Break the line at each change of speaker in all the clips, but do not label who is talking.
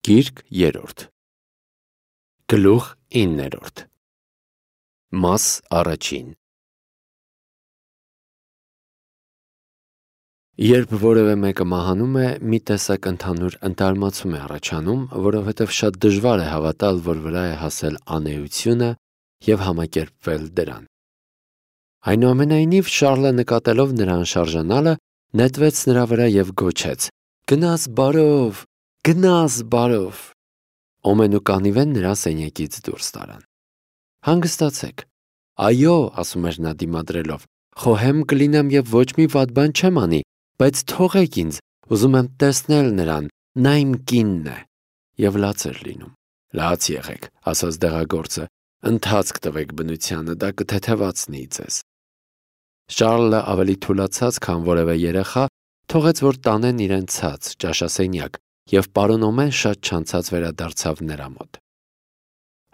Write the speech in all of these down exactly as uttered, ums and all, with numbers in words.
Գիրք երրորդ Գլուխ իններորդ Մաս առաջին Երբ որևէ մեկը մահանում է, մի տեսակ ընդհանուր ընտարմացում է առաջանում, որովհետև շատ դժվար է հավատալ, որ վրա է հասել անեությունը և համակերպվել դրան։ Այնուամենայնիվ, Շառլը նկատելով նրան շարժանալը, նետվեց նրա վրա և գոչեց. «Գնաս բարով, գնաս բարով»։ Օմեն ու Կանիվեն նրա սենյակից դուրս տարան։ «Հանգստացեք»։ «Այո», ասում էր նա դիմադրելով, «խոհեմ կլինեմ և ոչ մի վատ բան չեմ անի, բայց թողեք ինձ, ուզում եմ տեսնել նրան, նա իմ կինն է»։ Եվ լաց էր լինում։ «Լաց եղեք», ասաց դեղագործը, «ընթացք տվեք բնությանը, դա կթեթևացնի ձեզ»։ Շառլը ավելի թուլացած, քան որևէ երեխա, թողեց, որ տանեն իրեն ցած, ճաշասենյակ, և պարոն Օմեն շատ չանցած վերադարձավ նրա մոտ։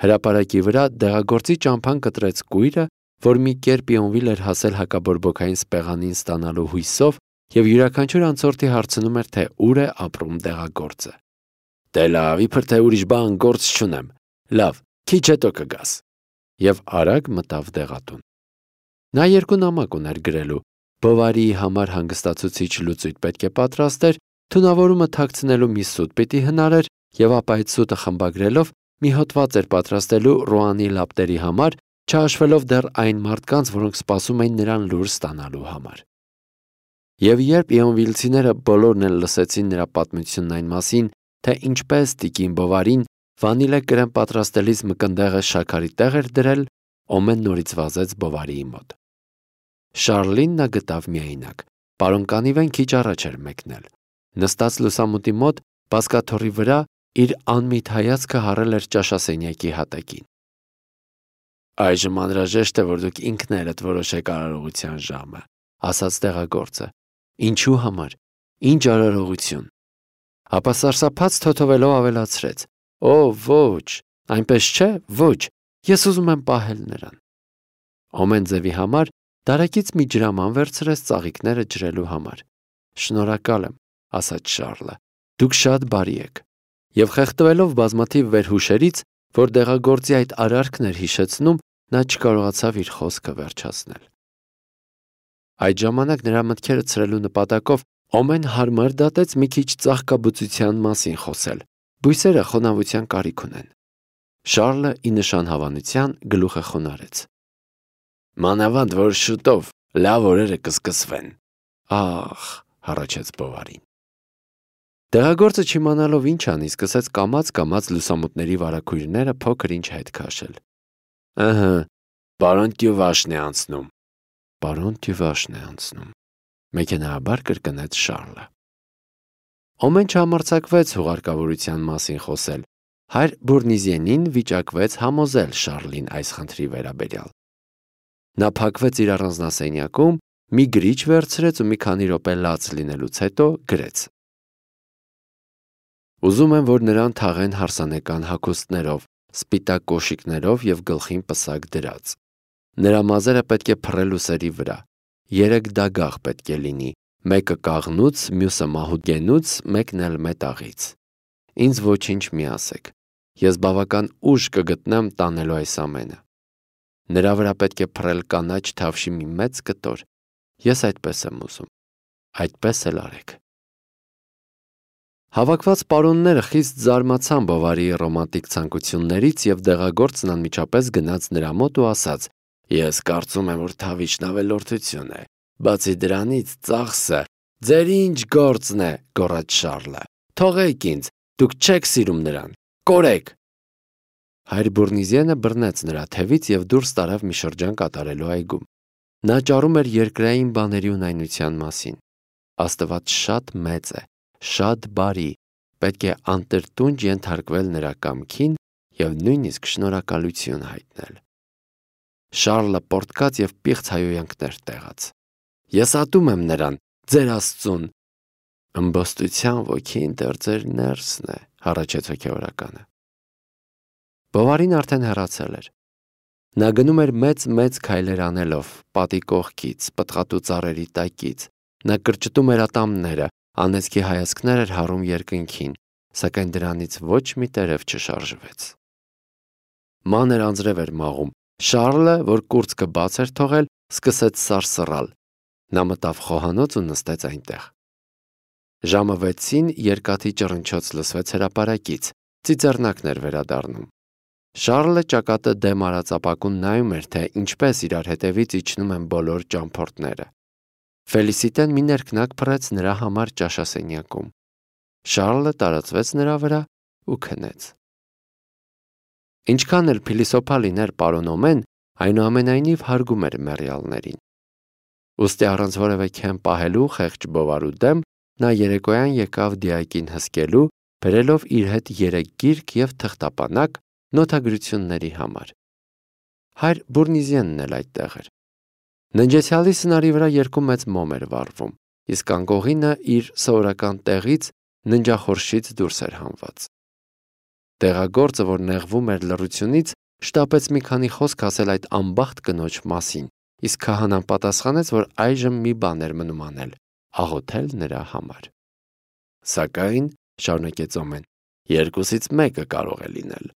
Հրապարակի վրա դեղագործի ճամփան կտրեց կույրը, որ մի կերպ Իոնվիլ էր հասել հակաբորբոքային սպեղանին ստանալու հույսով և յուրաքանչյուր անցորդի հարցնում էր, թե ուր է ապրում դեղագործը։ «Դե լավ, իբր թե ուրիշ բան գործ չունեմ, լավ, քիչ հետո կգաս»։ Եվ արագ մտավ դեղատուն։ Նա երկու նամակ ուներ գրելու. Բովարիի համար հանգստացուցիչ լուծույթ պետք է պատրաստեր, թունավորումը թաքցնելու մի սուտ պիտի հնարեր, և ապա այդ սուտը խմբագրելով մի հոդված էր պատրաստելու Ռուանի լապտերի համար, չհաշվելով դեռ այն մարդկանց, որոնք սպասում էին նրան լուր ստանալու համար։ Եվ երբ իոնվիլցիները բոլորն էլ լսեցին նրա պատմությունն այն մասին, թե ինչպես տիկին Բովարին վանիլե կրեմ պատրաստելիս մկնդեղը շաքարի տեղ էր դրել, Օմեն նորից վազեց Բովարիի մոտ։ Շառլին նա գտավ միայնակ։ Պարոն Կանիվեն քիչ առաջ էր մեկնել։ Նստած լուսամուտի մոտ, բազկաթոռի վրա, իր անմիտ հայացքը հառել էր ճաշասենյակի հատակին։ «Այժմ անհրաժեշտ է, որ դուք ինքներդ որոշեք արարողության ժամը», ասաց դեղագործը։ «Ինչու համար, ինչ արարողություն»։ Ապա սարսափած թոթովելով ավելացրեց. «Օ, ոչ, այնպես չէ, ոչ, ես ուզում եմ պահել նրան»։ Օմեն ձևի համար դարակից մի ջրաման վերցրեց ծաղիկները ջրելու համար։ «Շնորհակալ եմ», ասաց Շառլը, «դուք շատ բարի եք»։ Եվ խեղդվելով բազմաթիվ վերհուշերից, որ դեղագործի այդ արարքն էր հիշեցնում, նա չկարողացավ իր խոսքը վերջացնել։ Այդ ժամանակ նրա մտքերը ցրելու նպատակով Օմեն հարմար դատեց մի քիչ ծաղկաբուծության մասին խոսել։ Բույսերը խոնավության կարիք ունեն։ Շառլը ի նշան հավանության գլուխը խոնարհեց։ «Մանավանդ որ շուտով լավ օրերը կսկսվեն»։ «Ախ», հառաչեց Բովարին։ Դեղագործը չիմանալով ինչ անի, սկսեց կամաց-կամաց լուսամուտների վարագույրները փոքր-ինչ հետ քաշել։ «Ըհը, պարոն Տյուվաշն է անցնում»։ «Պարոն Տյուվաշն է անցնում», մեքենայաբար կրկնեց Շառլը։ Օմեն չհամարձակվեց հուղարկավորության մասին խոսել։ Հայր Բուրնիզիենին վիճակվեց համոզել Շառլին այս խնդրի վերաբերյալ։ Նա փակվեց իր առանձնասենյակում, մի գրիչ վերցրեց ու մի քանի րոպե լաց լինելուց հետո գրեց. «Ուզում եմ, որ նրան թաղեն հարսանեկան հագուստներով, սպիտակ կոշիկներով և գլխին պսակ դրած։ Նրա մազերը պետք է փռել ուսերի վրա։ Երեք դագաղ պետք է լինի, մեկը կաղնուց, մյուսը մահուդգենուց, մեկն էլ մետաղից։ Ինձ ոչինչ մի ասեք, ես բավական ուժ կգտնեմ տանելու այս ամենը։ Նրա վրա պետք է փռել կանաչ թավշի մի մեծ կտոր։ Ես այդպես եմ ուզում։ Այդպես էլ արեք»։ Հավաքված պարոնները խիստ զարմացան Բովարիի ռոմանտիկ ցանկություններից, և դեղագործն անմիջապես գնաց նրա մոտ ու ասաց. «Ես կարծում եմ, որ թավիչն ավելորդություն է։ Բացի դրանից, ծախսը ձեր ինչ գործն է», գոռաց Շառլը։ «Թողեք ինձ, դուք չեք սիրում նրան, կորեք»։ Հայր Բուրնիզիենը բռնեց նրա թևից և դուրս տարավ մի շրջան կատարելու այգում։ Նա ճառում էր երկրային բաների ունայնության մասին։ Աստված շատ մեծ է, շատ բարի, պետք է անտրտունջ ենթարկվել նրա կամքին և նույնիսկ շնորհակալություն հայտնել։ Շառլը պոռթկաց և պիղծ հայհոյանքներ տեղաց։ «Ես ատում եմ նրան, ձեր Աստծուն»։ «Ըմբոստության ոգին դեռ ձեր ներսն է», հառաչեց հոգևորականը։ Բովարին արդեն հեռացել էր։ Նա գնում էր մեծ-մեծ քայլեր անելով, պատի կողքից, պտղատու ծառերի տակից։ Նա կրճտում էր ատամները, անեծքի հայացքներ էր հառում երկնքին, սակայն դրանից ոչ մի տերև չշարժվեց։ Մանր անձրև էր մաղում։ Շառլը, որ կուրծքը բաց էր թողել, սկսեց սարսռալ։ Նա մտավ խոհանոց ու նստեց այնտեղ։ Ժամը վեցին երկաթի ճռնչոց լսվեց հրապարակից, ծիծեռնակն էր վերադառնում։ Շառլը ճակատը դեմ արած ապակուն նայում էր, թե ինչպես իրար հետևից իջնում են բոլոր ճամփորդները։ Ֆելիսիտեն մի ներքնակ փռեց նրա համար ճաշասենյակում։ Շառլը տարածվեց նրա վրա ու քնեց։ Ինչքան էլ փիլիսոփա լիներ պարոն Օմեն, այնուամենայնիվ հարգում էր մեռյալներին։ Ուստի առանց որևէ քեմ պահելու խեղճ բովարու դեմ, նա երեկոյան եկավ դիակին հսկելու, բերելով իր հետ երեք գիրք և թղթապանակ նոթագրությունների համար։ Հայր Բուրնիզիենն էլ այդտեղ էր։ Ննջեցյալի սնարի վրա երկու մեծ մոմ էր վառվում, իսկ անկողինը իր սովորական տեղից ննջախորշից դուրս էր հանված։ Տեղագործը, որ նեղվում էր լռությունից, շտապեց մի քանի խոսք ասել այդ անբախտ կնոջ մասին, իսկ քահանան պատասխանեց, որ այժմ մի բան էր մնում անել՝ աղոթել նրա համար։ Սակայն, շարունակեց Օմեն, երկուսից մեկը կարող է լինել։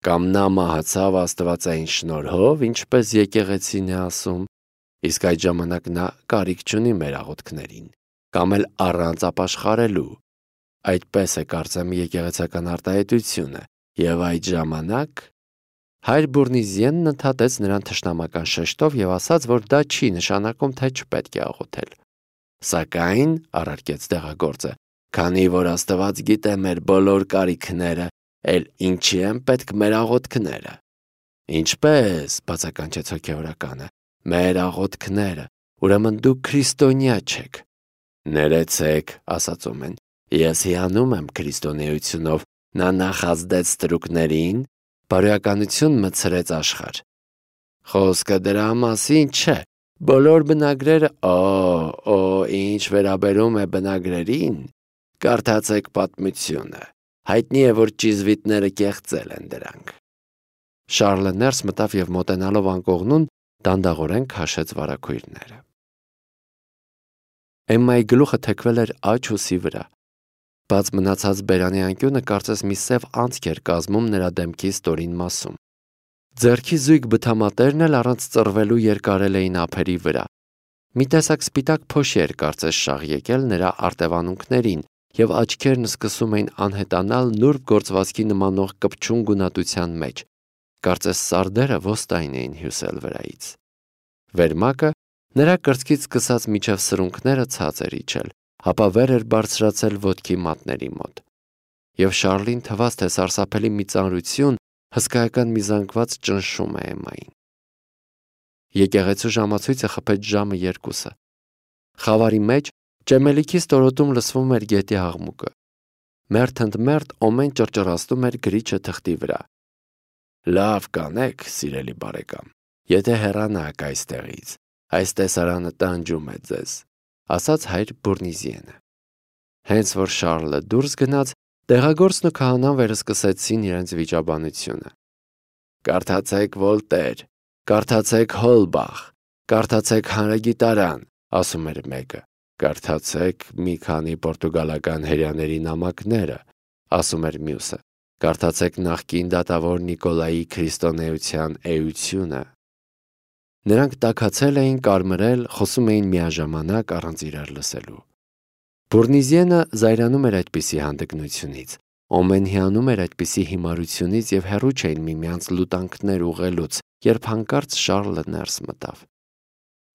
Կամ նա մահացավ աստվածային շնորհով, ինչպես եկեղեցին է ասում, իսկ այդ ժամանակ նա կարիք չունի մեր աղոթքներին, կամ էլ առանց ապաշխարելու։ Այդպես է կարծեմ եկեղեցական արտահայտությունը, եւ այդ ժամանակ Հայր Բուրնիզիենն ընդհատեց նրան թշնամական շեշտով եւ ասաց, որ դա չի նշանակում, թե չպետք է աղոթել։ Սակայն, առարկեց տեղագործը, քանի որ Աստված գիտե մեր բոլոր կարիքները, էլ ինչի են պետք մեր աղոթքները։ Ինչպես, բացականչեց հոգևորականը, մեր աղոթքները, ուրեմն դուք քրիստոնյա չեք։ Ներեցեք, ասաց Օմեն, ես հիանում եմ քրիստոնեությունով, նա նախազդեց ստրուկներին, բարոյականություն մտցրեց աշխարհ։ Խոսքը դրա մասին չէ, բոլոր բնագրերը, օ, օ, ինչ վերաբերում է բնագրերին, կարդացեք պատմությունը, հայտնի է, որ ճիզվիտները կեղծել են դրանք։ Շառլը ներս մտավ և մոտենալով անկողնուն, դանդաղորեն քաշեց վարագույրները։ Էմմայի գլուխը թեքվել էր աջ ուսի վրա։ Բաց մնացած բերանի անկյունը կարծես մի սև անցք էր կազմում նրա դեմքի ստորին մասում։ Ձեռքի զույգ բթամատերն էլ առանց ծռվելու երկարել էին ափերի վրա։ Մի տեսակ սպիտակ փոշի էր կարծես շաղ եկել նրա արտևանունքներին, և աչքերն սկսում էին անհետանալ նուրբ գործվածքի նմանող կպչուն գունատության մեջ, կարծես սարդերը ոստային էին հյուսել վրայից։ Վերմակը նրա կրծքից սկսած մինչև սրունքները ցած էր իջել, ապա վեր էր բարձրացել ոտքի մատների մոտ։ Եվ Շառլին թվաց, թե սարսափելի մի ծանրություն, հսկայական մի զանգված ճնշում է Էմմային։ Եկեղեցու ժամացույցը խփեց ժամը երկուսը։ Խավարի մեջ ճեմելիքի ստորոտում լսվում էր գետի աղմուկը։ Մերթ ընդ մերթ Օմեն ճռճռացնում էր գրիչը թղթի վրա։ Լավ կանեք, սիրելի բարեկամ, եթե հեռանաք այստեղից, այս տեսարանը տանջում է ձեզ, ասաց հայր Բուրնիզիենը։ Հենց որ Շառլը դուրս գնաց, տեղագործն ու քահանան վերսկսեցին իրենց վիճաբանությունը։ Կարդացեք Վոլտեր, կարդացեք Հոլբախ, կարդացեք հանրագիտարան, ասում էր մեկը, կարդացեք մի քանի պորտուգալական հրեաների նամակները, ասում էր մյուսը, կարդացեք նախկին դատավոր Նիկոլայի քրիստոնեության էությունը։ Նրանք տաքացել էին, կարմրել, խոսում էին միաժամանակ առանց իրար լսելու։ Բուրնիզիենը զայրանում էր այդպիսի հանդգնությունից, Օմեն հիանում էր այդպիսի հիմարությունից և հեռու չէին միմյանց լուտանքներ ուղղելուց, երբ հանկարծ Շառլը ներս մտավ։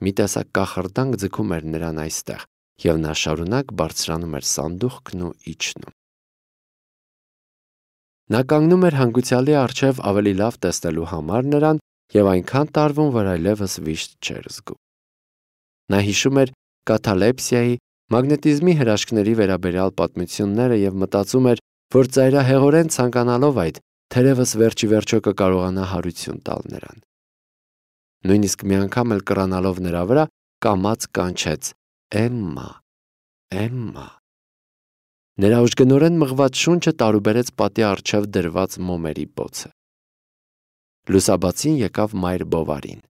Մի տեսակ կախարդանք ձգում էր նրան այստեղ, և նա շարունակ բարձրանում էր սանդուղքն ու իջնում։ Նա կանգնում էր հանգուցյալի առջև ավելի լավ տեսնելու համար նրան և այնքան տարվում, որ այլևս վիշտ չէր զգում։ Նա հիշում էր կաթալեպսիայի, մագնետիզմի հրաշքների վերաբերյալ պատմությունները և մտածում էր, որ ծայրահեղորեն ցանկանալով այդ, թերևս վերջի վերջո կկարողանա հարություն տալ նրան։ Նույնիսկ մի անգամ էլ կռանալով նրա վրա, կամաց կանչեց. Էմմա, Էմմա։ Նրա ուժգնորեն մղված շունչը տարուբերեց պատի առջև դրված մոմերի բոցը։ Լուսաբացին եկավ մայր Բովարին։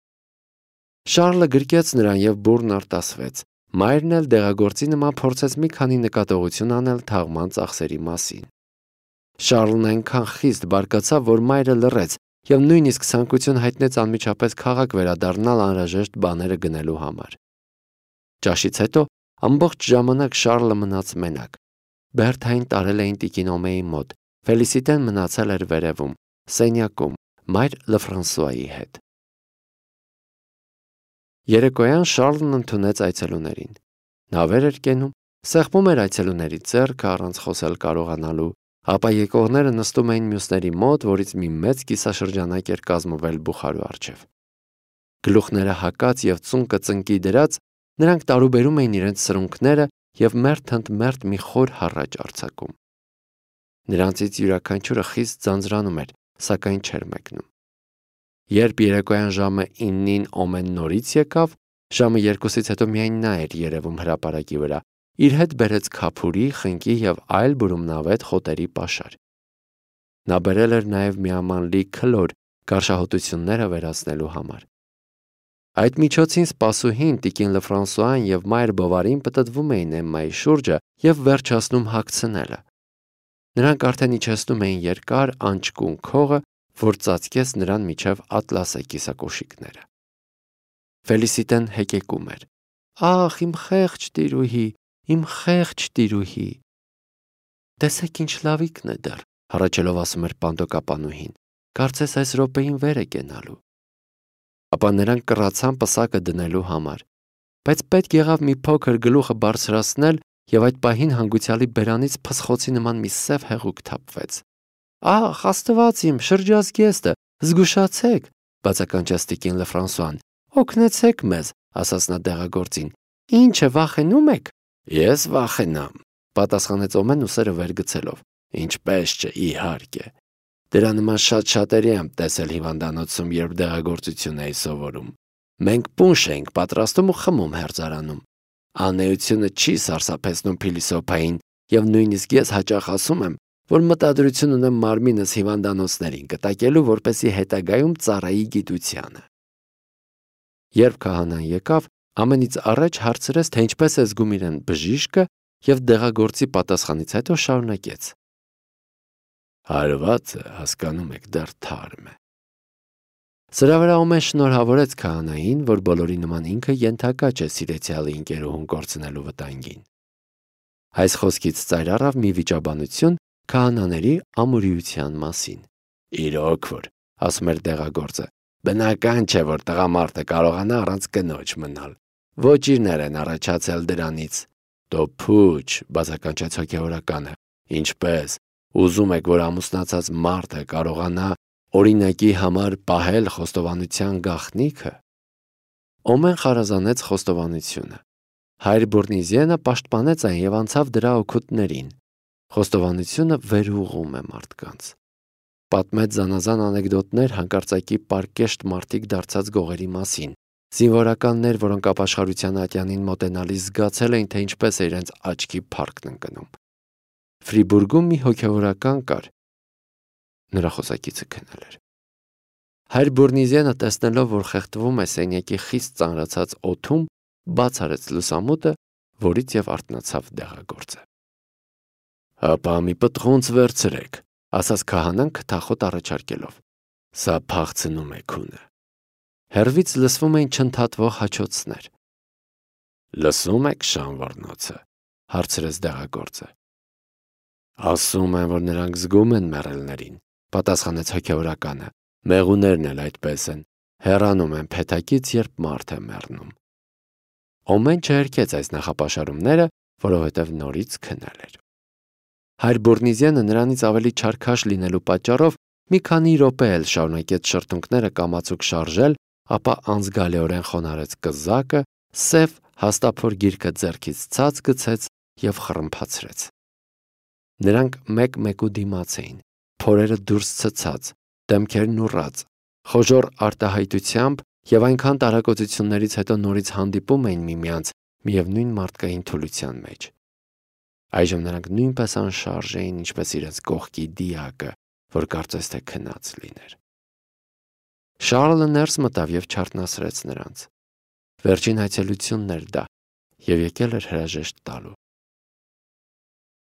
Շառլը գրկեց նրան և բուռն արտասվեց։ Մայրն էլ դեղագործի նման փորձեց մի քանի նկատողություն անել թաղման ծախսերի մասին։ Շարլն այնքան խիստ բարկացավ, որ մայրը լռեց և նույնիսկ ցանկություն հայտնեց անմիջապես քաղաք վերադառնալ անհրաժեշտ բաները գնելու համար։ Ճաշից հետո ամբողջ ժամանակ Շարլը մնաց մենակ։ Բերթային տարել էին տիկին Օմեի մոտ, Ֆելիսիտեն մնացել էր վերևում, սենյակում, մայր Լեֆրանսուայի հետ։ Երեկոյան Շարլն ընդունեց այցելուներին։ Նա վեր էր կենում, սեղմում էր այցելուների ձեռքը առանց խոսել կարողանալու, ապա եկողները նստում էին մյուսների մոտ, որից մի մեծ կիսաշրջանակ էր կազմվել բուխարու առջև։ Գլուխները հակած և ծունկը ծնկի դրած, նրանք տարուբերում էին իրենց սրունքները և մերթ ընդ մերթ մի խոր հառաչ արձակում։ Նրանցից յուրաքանչյուրը խիստ ձանձրանում էր, սակայն չէր մեկնում։ Երբ երեկոյան ժամը իննին Օմեն նորից եկավ, ժամը երկուսից հետո միայն նա էր երևում հրապարակի վրա, իր հետ բերեց քափուրի, խնկի և այլ բուրումնավետ խոտերի պաշար։ Նա բերել էր նաև միամանլի քլոր գարշահոտությունները վերացնելու համար։ Այդ միջոցին սպասուհին, տիկին Լեֆրանսուան և մայր Բովարին պտտվում էին Էմմայի շուրջը և վերջացնում հագցնելը։ Նրանք արդեն իջեցնում էին երկար անճկուն քողը, որ ծածկեց նրան միջև ատլասե կիսակոշիկները։ Ֆելիսիտեն հեկեկում էր. «Ախ, իմ խեղճ տիրուհի, իմ խեղճ տիրուհի»։ «Տեսեք ինչ լավիկն է դեռ», հառաչելով ասում էր պանդոկապանուհին, «կարծես այս րոպեին վեր է կենալու»։ Ապա նրանք կռացան պսակը դնելու համար, բայց պետք եղավ մի փոքր գլուխը բարձրացնել, և այդ պահին հանգուցյալի բերանից փսխոցի նման մի սև հեղուկ թափվեց։ «Ախ, Աստված իմ, շրջազգեստը, զգուշացեք», բացականչեց տիկին Լեֆրանսուան։ «Օգնեցեք մեզ», ասաց նա դեղագործին։ «Ինչ է, վախենում եք»։ «Ես վախենամ», պատասխանեց Օմեն ուսերը վեր գցելով։ «Ինչպես չէ, իհարկե։ Դրա նման շատ-շատերի եմ տեսել հիվանդանոցում, երբ դեղագործություն էի սովորում։ Մենք պունշ էինք պատրաստում ու խմում հերձարանում։ Անեությունը չի սարսափեցնում փիլիսոփային, և նույնիսկ ես հաճախ ասում եմ, որ մտադրություն ունեմ մարմինս հիվանդանոցներին կտակելու, որպեսզի հետագայում ծառայի գիտությանը»։ Երբ քահանան եկավ, ամենից առաջ հարցրեց, թե ինչպես է զգում իրեն բժիշկը, և դեղագործի պատասխանից հետո շարունակեց. «Հարվածը, հասկանում եք, դեռ թարմ է»։ Սրա վրա Օմեն շնորհավորեց քահանային, որ բոլորի նման ինքը ենթակա չէ սիրեցյալի ընկերուհուն կորցնելու վտանգին։ Այս խոսքից ծայր առավ մի վիճաբանություն քահանաների ամուրիության մասին։ «Իրոք որ», ասում էր դեղագործը, «բնական չէ, որ տղամարդը կարողանա առանց կնոջ մնալ։ Ոճիրներ են առաջացել դրանից»։ «Դո փուչ», բացականչեց հոգևորականը, «ինչպես, ուզում եք, որ ամուսնացած մարդը կարողանա օրինակի համար պահել խոստովանության գաղտնիքը»։ Օմեն խարազանեց խոստովանությունը։ Հայր Բուրնիզիենը պաշտպանեց այն և անցավ դրա օգուտներին։ Խոստովանությունը վերուղղում է մարդկանց։ Պատմեց զանազան անեկդոտներ հանկարծակի պարկեշտ մարդիկ դարձած գողերի մասին, զինվորականներ, որոնք ապաշխարության ատյանին մոտենալիս զգացել էին, թե ինչպես է իրենց աչքի փառքն ընկնում։ Ֆրիբուրգում մի հոգևորական կար։ Նրա խոսակիցը քնել էր։ Հայր Բուրնիզիենը, տեսնելով, որ խեղդվում է սենյակի խիստ ծանրացած օդում, բաց արեց լուսամուտը, որից և արթնացավ դեղագործը։ «Հապա մի պտղունց վերցրեք», ասաց քահանան քթախոտ առաջարկելով։ «Սա փախցնում է քունը»։ Հեռվից լսվում էին չընդհատվող հաչոցներ։ «Լսում եք շանվռնոցը», հարցրեց դեղագործը։ «Ասում են, որ նրանք զգում են մեռելներին», պատասխանեց հոգևորականը։ «Մեղուներն էլ այդպես են, հեռանում են փեթակից, երբ մարդ է մեռնում»։ Օմեն չհերքեց այս նախապաշարումները, որովհետև նորից քնել էր։ Հայր Բուրնիզիենը նրանից ավելի չարքաշ լինելու պատճառով մի քանի րոպե էլ շարունակեց շրթունքները կամացուկ շարժել, ապա անզգալիորեն խոնարհեց կզակը, սև հաստափոր գիրկը ձեռքից ցած գցեց և խռմփացրեց։ Նրանք մեկ-մեկու դիմաց էին, փորերը դուրս ցցած, դեմքերն ուռած, խոժոռ արտահայտությամբ և այնքան տարակոծություններից հետո նորից հանդիպում էին միմյանց միևնույն մարդկային թուլության մեջ։ Այժմ նրանք նույնպես անշարժ էին, ինչպես իրենց կողքի դիակը, որ կարծես թե քնած լիներ։ Շարլը ներս մտավ և չարթնացրեց նրանց։ Վերջին այցելությունն էր դա, և եկել էր հրաժեշտ տալու։